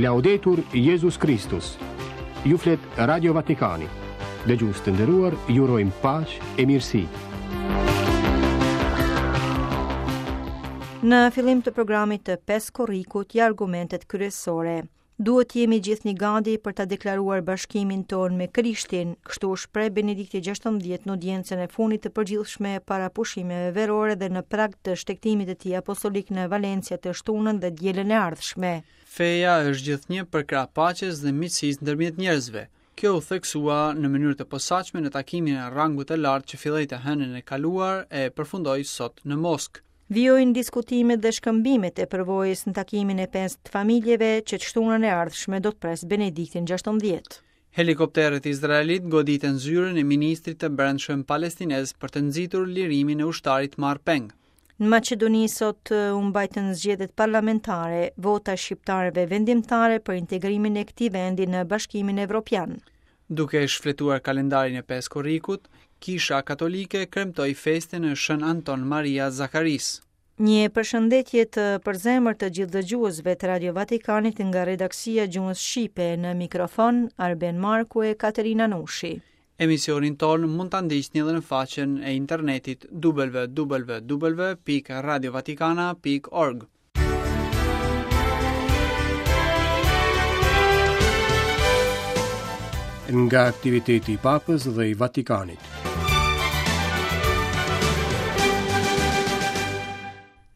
Laudetur Jezus Kristus. Ju flet Radio Vatikani. Dëgjues të nderuar, ju urojmë paqe e mirësi. Në fillim të programit të 5 korrikut ja argumentet kryesore. Duhet të jemi gjithnjë gati për ta deklaruar bashkimin tonë me Krishtin, kështu u shpreh Benedikti XVI në audiencën e fundit të përgjithshme para pushimeve verore dhe në prag të shtegtimit të tij apostolik në Valencia të shtunën dhe dielën e ardhshme. Feja është gjithnjë përkrah paqes dhe miqësisë ndërmjet njerëzve. Kjo u theksua në mënyrë të posaçme në takimin e rangut të lartë që filloi të hënën e kaluar e përfundoi sot në Moskë. Vijojnë diskutimet dhe shkëmbimet e përvojës në takimin e pestë të familjeve që të shtunën e ardhshme do të presë Benediktin XVI. Helikopterët izraelitë goditën zyrën e ministrit të Brendshëm palestinez për të nxitur lirimin e ushtarit marrë peng. Në Maqedoni sot u mbajtën zgjedhjet parlamentare, vota e shqiptarëve vendimtare për integrimin e këtij vendi në Bashkimin Evropian. Duke shfletuar kalendarin e 5 korrikut, Kisha Katolike kremtoi festën e Shën Anton Maria Zakarisë. Një përshëndetje të përzemërt të gjithë dëgjuesve të Radio Vatikanit nga redaksia e gjuhës shqipe në mikrofon Arben Marku e Katerina Nushi. Emisionin tonë mund ta ndiqni edhe në faqen e internetit www.radiovatikana.org. Nga aktiviteti i Papës dhe i Vatikanit.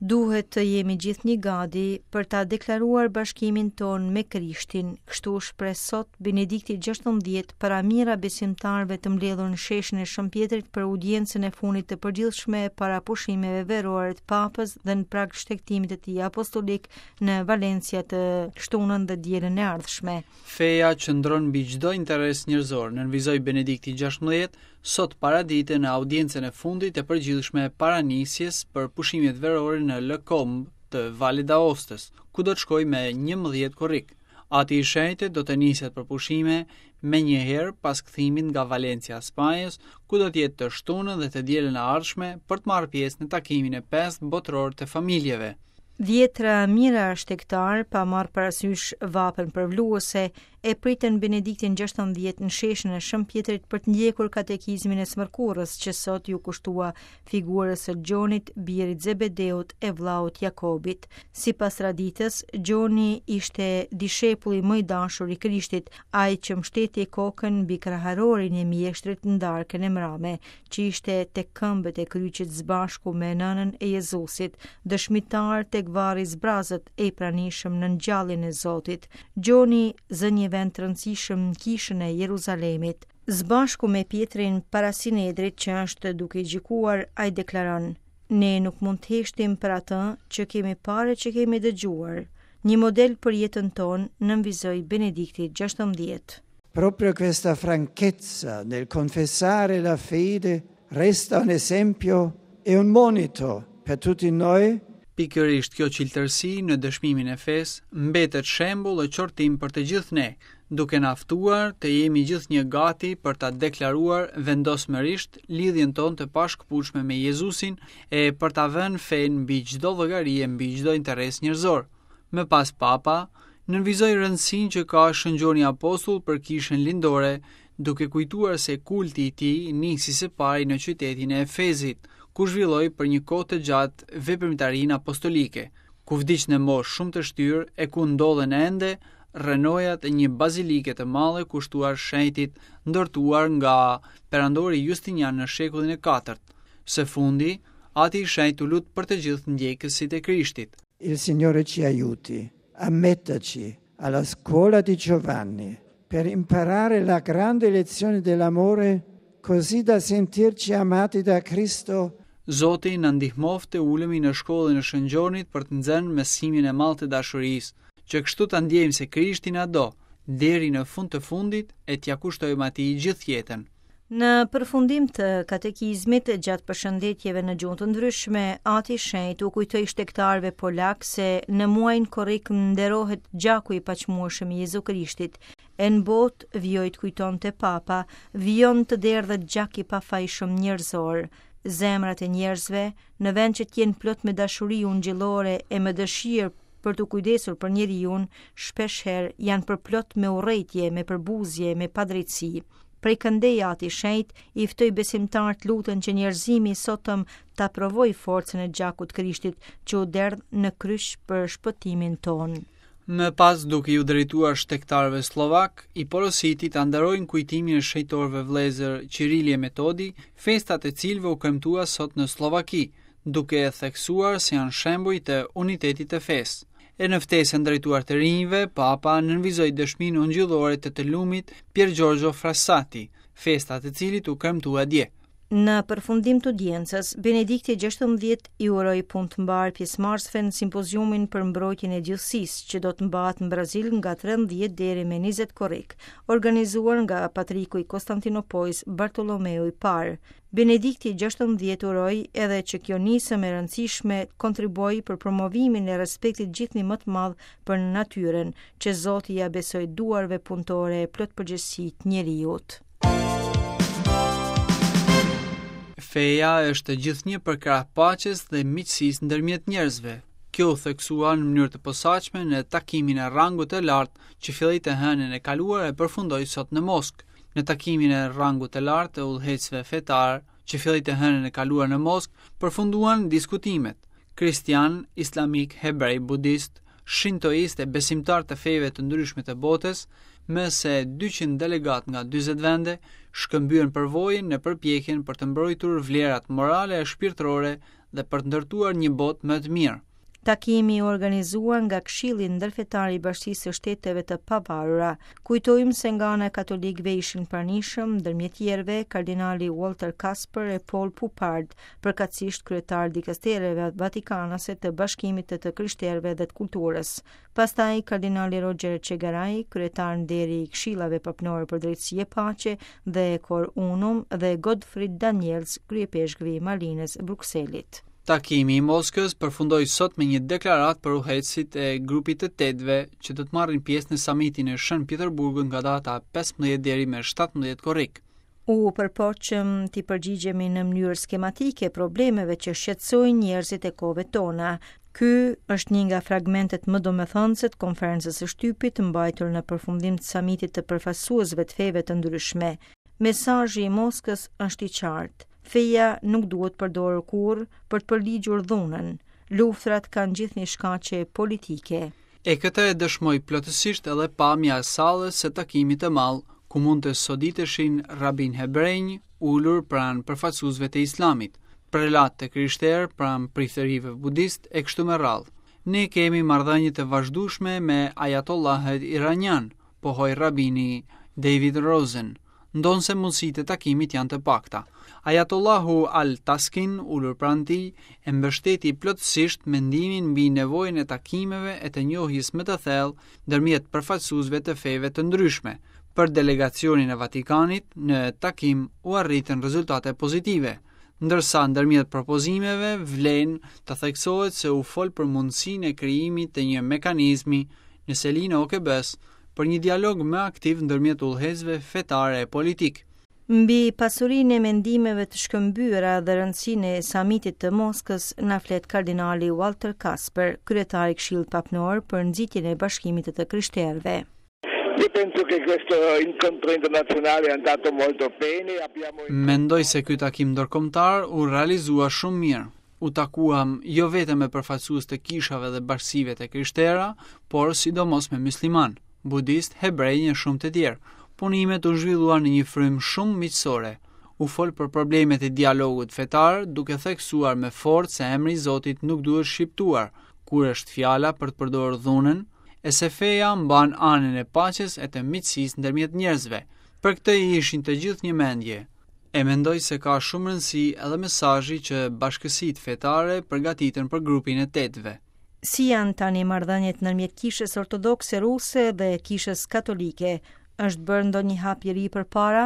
Duhet të jemi gjithnjë gati për ta deklaruar bashkimin tonë me Krishtin, kështu u shpreh sot Benedikti XVI para mijëra besimtarëve të mbledhur në sheshin e Shën Pjetrit për audiencën e fundit të përgjithshme para pushimeve verore të Papës dhe në prag shtegtimit të tij apostolik në Valencia të shtunën dhe dielën e ardhshme. Feja qëndron mbi çdo interes njerëzor, nënvizoi Benedikti XVI sot paradite në audiencën e fundit të përgjithshme para nisjes për pushimet verore në Les Combes të Valit d'Aostës, ku do të shkojë me 11 korrik. Ati i Shenjtë do të niset për pushime menjëherë pas kthimit nga Valencia e Spanjës, ku do të jetë të shtunën dhe të dielën e ardhshme për të marrë pjesë në takimin e pestë botëror të familjeve. Dhjetra mijëra shtegtarë, pa marrë parasysh vapën përvluese, e pritën Benediktin XVI në sheshin e Shën Pjetrit për të ndjekur katekizmin e së mërkurës që sot iu kushtua figurës së Gjonit, birit Zebedeut e vëllaut Jakobit. Sipas traditës, Gjoni ishte dishepulli më i dashur i Krishtit, ai që mbështeti kokën mbi kraharorin e mjeshtrit në darkën e mrame, që ishte tek këmbët e kryqit së bashku me nënën e Jezusit, dëshmitar tek varri i zbrazët e i pranishëm në ngjalljen e Zotit. Gjoni zë një vend të rëndësishëm në kishën e Jeruzalemit. Së bashku me Pjetrin para Sinedrit që është duke i gjykuar, ai deklaron: Ne nuk mund të heshtim për atë që kemi parë e që kemi dëgjuar. Një model për jetën tonë, nënvizoi Benedikti XVI. Proprio questa franchezza nel confessare la fede resta un esempio e un monito per tutti noi Pikërisht kjo çiltërsi në dëshmimin e fesë mbetet shembull e qortim për të gjithë ne, duke na ftuar të jemi gjithnjë gati për ta deklaruar vendosmërisht lidhjen tonë të pashkëputshme me Jezusin e për ta vënë fenë mbi çdo llogari e mbi çdo interes njerëzor. Më pas Papa nënvizoi rëndësinë që ka Shën Gjoni Apostull për Kishën Lindore, duke kujtuar se kulti i tij nisi së pari në qytetin e Efezit, ku zhvilloi për një kohë të gjatë veprimtarinë apostolike, ku vdiq në moshë shumë të shtyrë e ku ndodhen ende rrënojat e një bazilike të madhe kushtuar shenjtit ndërtuar nga perandori Justinian në shekullin e katërt. Së fundi, Ati i Shenjtë u lut për të gjithë ndjekësit e Krishtit. Il Signore ci aiuti a metterci alla scuola di Giovanni per imparare la grande lezione dell'amore così da sentirci amati da Cristo. Zoti na ndihmoftë të ulemi në shkollën e Shën Gjonit për të nxënë mësimin e madh të dashurisë, që kështu ta ndjejmë se Krishti na do, deri në fund të fundit e t'ia kushtojmë atij gjithë jetën. Në përfundim të katekizmit, gjatë përshëndetjeve në gjuhë të ndryshme, Ati i Shenjtë u kujtoi shtegtarëve polakë se në muajin korrik nderohet gjaku i paçmueshëm i Jezu Krishtit. E në botë, vijoi të kujtonte Papa, vijon të derdhet gjak i pafajshëm njerëzor. Zemrat e njerëzve, në vend që të jenë plot me dashuri ungjillore e me dëshirë. për t'u kujdesur për njeriun, shpeshherë janë përplot me urrejtje, me përbuzje, me padrejtësi. Prej këndej Ati i Shenjtë i ftoi besimtarët të luten që njerëzimi i sotëm ta provojë forcën e gjakut të Krishtit që u derdh në kryq për shpëtimin tonë. Më pas, duke iu drejtuar shtegtarëve sllovakë, i porositi ta nderojnë kujtimin e shenjtorëve vëllezër Qirili e Metodi, festa e të cilëve u kremtua sot në Sllovaki, duke e theksuar se janë shembuj të unitetit të fesë. E në ftesën drejtuar të rinjve, Papa nënvizoi dëshminë ungjillore të të lumit Pier Giorgio Frassati, festa e të cilit u kremtua dje. Në përfundim të audiencës, Benedikti XVI i uroi punë të mbarë pjesëmarrësve në simpoziumin për mbrojtjen e gjithësisë, që do të mbahet në Brazil nga 13 deri me 20 korrik, organizuar nga Patriku i Konstantinopojës Bartolomeu i Parë. Benedikti XVI uroi edhe që kjo nismë e rëndësishme të kontribuojë për promovimin e respektit gjithnjë më të madh për natyrën, që Zoti ia besoi duarve punëtore e plot përgjegjësi të njeriut. Feja është gjithnjë përkrah paqes dhe miqësisë ndërmjet njerëzve. Kjo u theksua në mënyrë të posaçme në takimin e rangut të lartë që filloi të hënën e kaluar e përfundoi sot në Moskë. Në takimin e rangut të lartë të udhëheqësve fetarë, që filloi të hënën e kaluar në Moskë, përfunduan diskutimet. Kristianë, islamikë, hebrej, budistë, shintoistë e besimtarë të feve të ndryshme të botës, më se 200 delegatë nga 40 vende, shkëmbyen përvojën në përpjekjen për të mbrojtur vlerat morale e shpirtërore dhe për të ndërtuar një botë më të mirë. Takimi u organizua nga Këshilli Ndërfetar i Bashkësisë së Shteteve të Pavarura. Kujtojmë se nga ana e katolikëve ishin pranishëm, ndërmjet tjerëve, kardinali Walter Kasper e Paul Poupard, përkatësisht kryetarë të dikastereve vatikanase të Bashkimit të të Krishterëve dhe të Kulturës. Pastaj kardinali Roger Etchegaray, kryetar nderi i Këshillave Papnorë për Drejtësi e Paqe dhe Cor Unum dhe Godfried Daniels, kryeipeshkvi i Malinës Brukselit. Takimi i Moskës përfundoi sot me një deklaratë për udhëheqësit e grupit të tetëve që do të marrin pjesë në samitin e Shën Peterburgut nga data 15 deri më 17 korrik. U përpoqëm t'i përgjigjemi në mënyrë skematike problemeve që shqetësojnë njerëzit e kohëve tona. Ky është një nga fragmentet më domethënëse të konferencës së shtypit mbajtur në përfundim të samitit të përfaqësuesve të feve të ndryshme. Mesazhi i Moskës është i qartë. Feja nuk duhet përdorur kurrë për të përligjur dhunën. Luftërat kanë gjithnjë shkaqe politike. E këtë e dëshmoi plotësisht edhe pamja e sallës së takimit të madh, ku mund të soditeshin rabinë hebrenj ulur pranë përfaqësuesve të Islamit, prelatë të krishterë pranë priftërinjve budistë e kështu me radhë. Ne kemi marrëdhënie të vazhdueshme me ajatollahët iranianë, pohoi rabini David Rosen, ndonëse mundësitë e takimit janë të pakta. Ajatollahu Al Taskin, ulur pranë tij, e mbështeti plotësisht mendimin mbi nevojën e takimeve e të njohjes më të thellë ndërmjet përfaqësuesve të feve të ndryshme. Për delegacionin e Vatikanit, në takim u arritën rezultate pozitive, ndërsa ndërmjet propozimeve vlen të theksohet se u fol për mundësinë e krijimit të një mekanizmi në selinë e OKB-së për një dialog më aktiv ndërmjet udhëheqësve fetarë e politikë. Mbi pasurinë e mendimeve të shkëmbyera dhe rëndësinë e samitit të Moskës na flet kardinali Walter Kasper, kryetar i Këshillit Papnor për nxitjen e bashkimit të të krishterëve. Io penso che questo incontro internazionale è andato molto bene. Abbiamo Mendoj se ky takim ndërkombëtar u realizua shumë mirë. U takuam jo vetëm me përfaqësues të kishave dhe bashkësive të krishtera, por sidomos me myslimanë, budistë, hebrenj e shumë të tjerë. Punimet u zhvilluan në një frymë shumë miqësore. U fol për problemet e dialogut fetar, duke theksuar me forcë se emri i Zotit nuk duhet shqiptuar, kur është fjala për të përdorur dhunën, e se feja mban anën e paqes e të miqësisë ndërmjet njerëzve. Për këtë ishin të gjithë një mendje. E mendoj se ka shumë rëndësi edhe mesazhi që bashkësitë fetare përgatitën për grupin e tetëve. Si janë tani marrëdhëniet ndërmjet Kishës Ortodokse Ruse dhe Kishës Katolike? Është bërë ndonjë hap i ri përpara?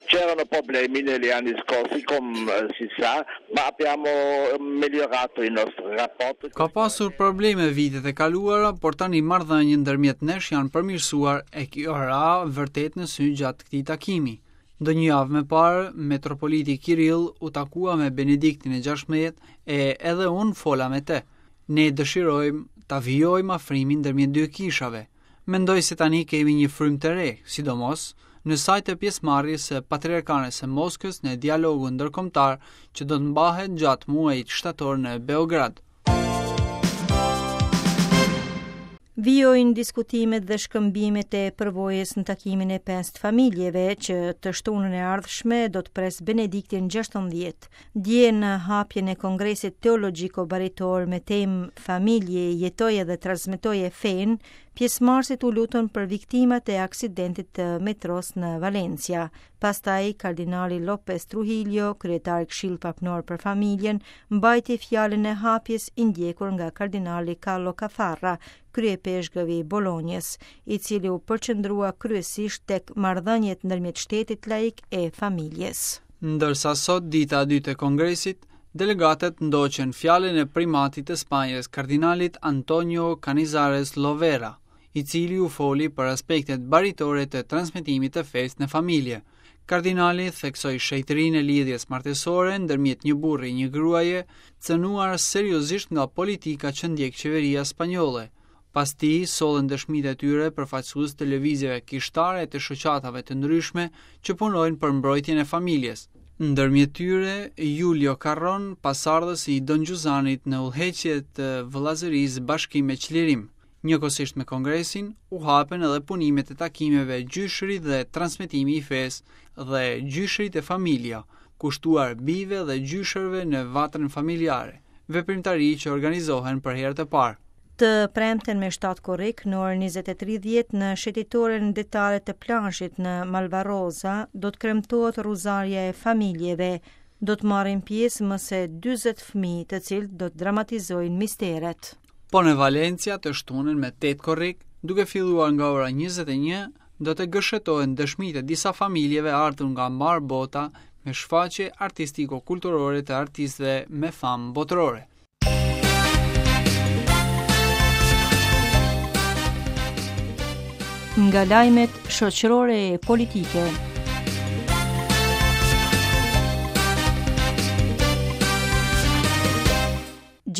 C'erano problemi negli anni scorsi, come si sa, ma abbiamo migliorato i nostri rapporti. Ka pasur probleme vitet e kaluara, por tani marrëdhëniet ndërmjet nesh janë përmirësuar e kjo ra vërtet në sy gjatë këtij takimi. Ndonjë javë më parë, metropoliti Kirill u takua me Benediktin e 16 e edhe unë fola me të. Ne dëshirojmë ta vijojmë afrimin ndërmjet dy kishave. Mendoj se tani kemi një frymë të re, sidomos në sajë të pjesëmarrjes së Patriarkanës së Moskës në dialogun ndërkombëtar që do të mbahet gjatë muajit shtator në Beograd. Vijojnë diskutimet dhe shkëmbimet e përvojës në takimin e pesë familjeve që të shtunën e ardhshme do të presë Benediktin 16. Dje në hapjen e Kongresit Teologjiko Baritor me temë Familje, jetoje dhe transmetoje fenë, pjesëmarrësit u lutën për viktimat e aksidentit të metros në Valencia. Pastaj, kardinali Lopez Trujillo, kryetar i Këshillit Papnor për Familjen, mbajti fjalën e hapjes i ndjekur nga kardinali Carlo Caffarra, kryeipeshkëv i Bolonjës, i cili u përqendrua kryesisht tek marrëdhëniet ndërmjet shtetit laik e familjes. Ndërsa sot, dita e dytë e Kongresit, delegatët ndoqën fjalën e primatit të Spanjës, kardinalit Antonio Canizares Lovera, i cili u foli për aspektet baritore të transmetimit të fesë në familje. Kardinali theksoi shenjtërinë e lidhjes martesore ndërmjet një burri e një gruaje, cënuar seriozisht nga politika që ndjek qeveria spanjolle. Pas tij sollën dëshmitë e tyre përfaqësues të lëvizjeve kishtare e të shoqatave të ndryshme që punojnë për mbrojtjen e familjes. Ndërmjet tyre, Julio Carron, pasardhës i Don Xhuzanit në udhëheqje të Vëllazërisë Bashkim e Çlirim. Njëkohësisht me kongresin, u hapën edhe punimet e takimeve Gjyshërit dhe transmetimi i fesë dhe Gjyshërit e familja, kushtuar bijve dhe gjyshërve në vatrën familjare, veprimtari që organizohen për herë të parë. Të premten me 7 korrik në orën 20:30 në shëtitoren detare të plazhit në Malvaroza do të kremtohet rruzarja e familjeve. Do të marrin pjesë më se 40 fëmijë, të cilët do të dramatizojnë misteret. Po në Valencia të shtunën me 8 korrik, duke filluar nga ora 21, do të gërshetohen dëshmitë e disa familjeve ardhur nga mbarë bota me shfaqje artistiko-kulturore të artistëve me famë botërore. Nga lajmet shoqërore e politike.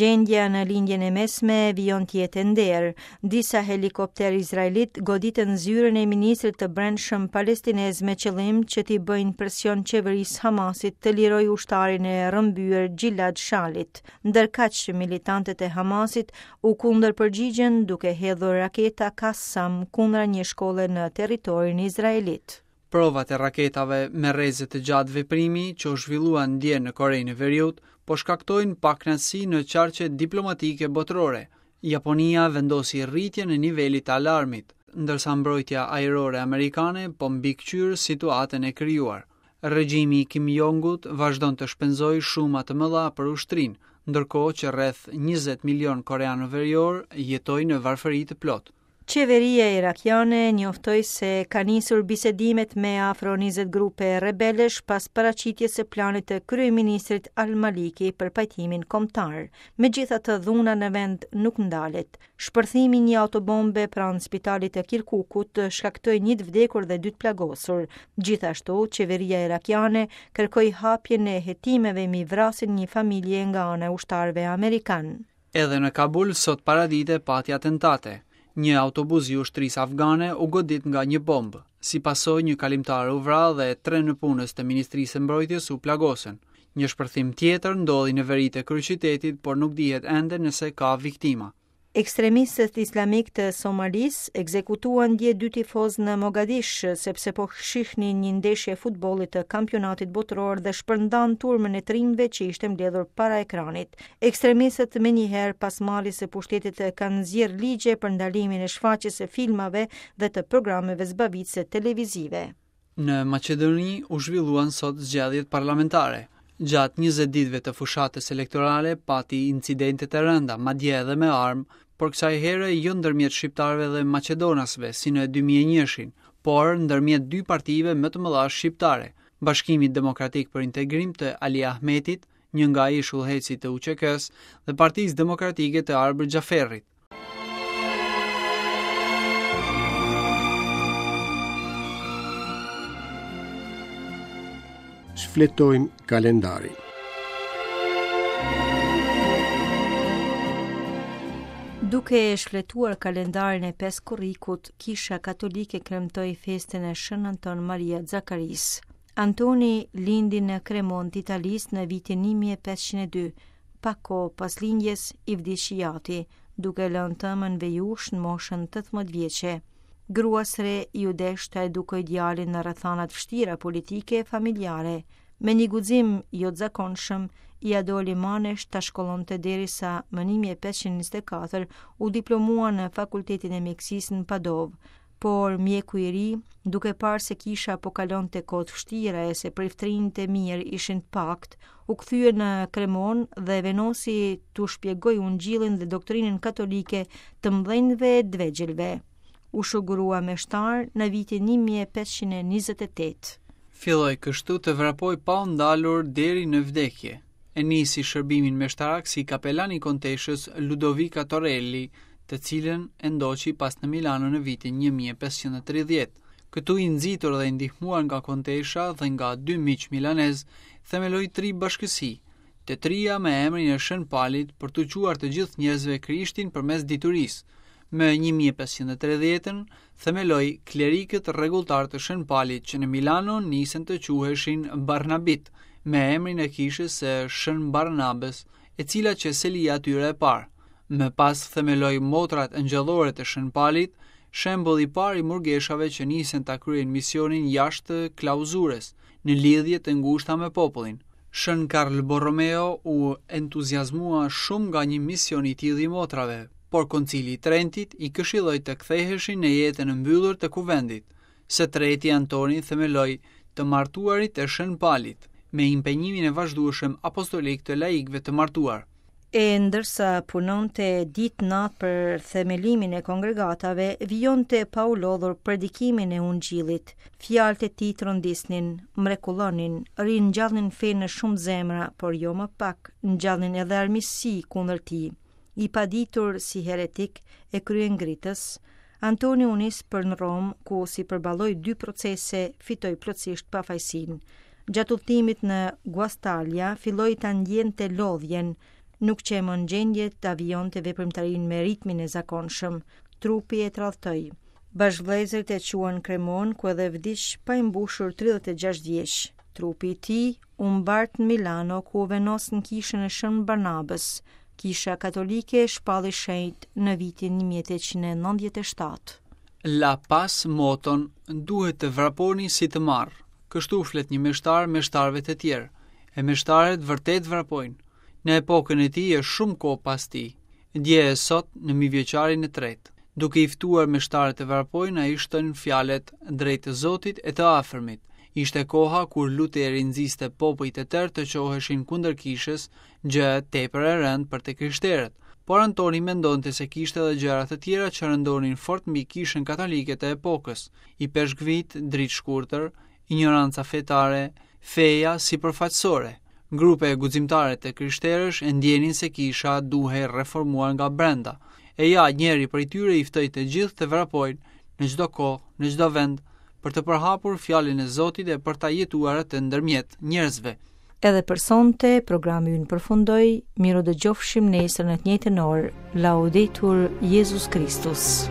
Gjendja në Lindjen e Mesme vijon të jetë e nderë. Disa helikopterë izraelitë goditën zyrën e ministrit të Brendshëm palestinez me qëllim që t'i bëjnë presion qeverisë Hamasit të lirojë ushtarin e rrëmbyer Gilad Shalit. Ndërkaq, militantët e Hamasit u kundërpërgjigjën duke hedhur raketa Kassam kundra një shkolle në territorin izraelit. Provat e raketave me rreze të gjatë veprimi që u zhvilluan dje në Korenë e Veriut po shkaktojnë pakënaqësi në qarqet diplomatike botërore. Japonia vendosi rritjen e nivelit të alarmit, ndërsa mbrojtja ajrore amerikane po mbikëqyr situatën e krijuar. Regjimi i Kim Jongut vazhdon të shpenzojë shuma të mëdha për ushtrinë, ndërkohë që rreth 20 milionë koreanoveriorë jetojnë në varfëri të plotë. Qeveria irakiane njoftoi se ka nisur bisedimet me afro 20 grupe rebelësh pas paraqitjes së planit të kryeministrit Al-Maliki për pajtimin kombëtar. Megjithatë, dhuna në vend nuk ndalet. Shpërthimi i një autobombe pranë spitalit të Kirkukut shkaktoi një të vdekur dhe dy të plagosur. Gjithashtu, qeveria irakiane kërkoi hapjen e hetimeve mbi vrasjen e një familje nga ana e ushtarëve amerikanë. Edhe në Kabul sot paradite pati atentate. Një autobus i ushtrisë afgane u godit nga një bombë. Si pasojë një kalimtar u vra dhe tre nëpunës të Ministrisë së Mbrojtjes u plagosën. Një shpërthim tjetër ndodhi në veri të kryeqytetit, por nuk dihet ende nëse ka viktima. Ekstremistët islamikë të Somalisë ekzekutuan dje dy tifozë në Mogadish, sepse po shihnin një ndeshje futbolli të kampionatit botëror dhe shpërndanë turmën e të rinjve që ishte mbledhur para ekranit. Ekstremistët menjëherë pas marrjes së pushtetit kanë nxjerrë ligje për ndalimin e shfaqjes së filmave dhe të programeve zbavitëse televizive. Në Maqedoni u zhvilluan sot zgjedhjet parlamentare. Gjatë 20 ditëve të fushatës elektorale pati incidente të rënda, madje edhe me armë, por kësaj here jo ndërmjet shqiptarëve dhe maqedonasve si në 2001-shin, por ndërmjet dy partive më të mëdha shqiptare, Bashkimit Demokratik për Integrim të Ali Ahmetit një nga ish udhëheqësit të UÇK-së dhe Partisë Demokratike të Arbër Xhaferrit. Shfletojmë kalendarin. Duke e shfletuar kalendarin e 5 korrikut, Kisha Katolike kremtoi festën e Shën Anton Maria Zakarisë. Antoni lindi në Kremonë të Italisë në vitin 1502. Pak kohë pas lindjes i vdiq i jati, duke lënë të ëmën vejushë në moshën 18 vjeçe. Gruas së re iu desh ta edukojë djalin në rrethana të vështira politike e familjare. Me një guxim jo të zakonshëm, ia doli manesh ta shkollonte derisa më 1524 u diplomua në Fakultetin e Mjekësisë në Padovë. Por mjeku i ri, duke parë se kisha po kalonte kohë të vështira e se priftërinjtë e mirë ishin të paktë, u kthye në Kremonë dhe vendosi t'u shpjegojë ungjillin dhe doktrinën katolike të mëdhenjve e të vegjëlve. U shugurua meshtar në vitin 1528. Filloi kështu të vrapojë pa u ndalur deri në vdekje. E nisi shërbimin meshtarak si kapelan i konteshës Ludovica Torelli, të cilën e ndoqi pas në Milano në vitin 1530. Këtu i nxitur dhe i ndihmuar nga kontesha dhe nga dy miq milanezë, themeloi tri bashkësi, të tria me emrin e Shën Palit për t'u çuar të gjithë njerëzve Krishtin përmes diturisë. Më 1530-ën themeloi klerikët rregulltarë të Shën Palit që në Milano nisën të quheshin Barnabit, me emrin e kishës së Shën Barnabës, e cila qe selia e tyre e parë. Më pas themeloi motrat engjëllore të Shën Palit, shembull i parë i murgeshave që nisën ta kryejnë misionin jashtë klauzurës, në lidhje të ngushta me popullin. Shën Karl Borromeo u entuziazmua shumë nga një mision i tillë i motrave, por Koncili i Trentit i këshilloi të ktheheshin në jetën e mbyllur të kuvendit. Së treti Antoni themeloi të martuarit e Shën Palit, me impenjimin e vazhdueshëm apostolik të laikëve të martuar. E ndërsa punonte ditë natë për themelimin e kongregatave, vijonte pa u lodhur predikimin e ungjillit. Fjalët e tij trondisnin, mrekullonin, ringjallnin fenë në shumë zemra, por jo më pak, ngjallnin edhe armiqësi kundër tij. I paditur si heretik e kryengritës, Antoni u nis për në Romë, ku si përballoi dy procese, fitoi plotësisht pafajësinë. Gjatë udhëtimit në Guastalia, filloi ta ndjente lodhjen, nuk qe më në gjendje ta vijonte veprimtarinë me ritmin e zakonshëm. Trupi e tradhtoi. Bashkëvëllezërit e çuan në Kremonë, ku edhe vdiq pa i mbushur 36 vjeç. Trupi i tij u mbart në Milano, ku u vendos në kishën e Shën Barnabës. Kisha Katolike e shpalli shenjt në vitin 1897. La pas moton, duhet të vraponi si të marrë. Kështu flet një meshtar meshtarëve të tjerë, e meshtarët vërtet vrapojnë. Në epokën e tij e shumë kohë pas tij, dje e sot në mijëvjeçarin e tretë. Duke i ftuar meshtarët të vrapojnë, ai shton fjalët drejt të Zotit e të afërmit. Ishte koha kur Luteri nxiste popuj të tërë të çoheshin kundër kishës, gjë tepër e rëndë për të krishterët. Por Antoni mendonte se kishte edhe gjëra të tjera që rëndonin fort mbi kishën katolike të epokës. Ipeshkvijtë dritëshkurtër, injoranca fetare, feja sipërfaqësore. Grupe guximtare të krishterësh e ndjenin se kisha duhej reformuar nga brenda. E ja, njëri prej tyre i ftoi të gjithë të vrapojnë në çdo kohë, në çdo vend, për të përhapur fjalën e Zotit e për ta jetuar atë ndërmjet njerëzve. Edhe për sonte, programi ynë përfundoi, mirudëgjofshim nesër në të njëjtën orë, Laudetur Jezus Kristus.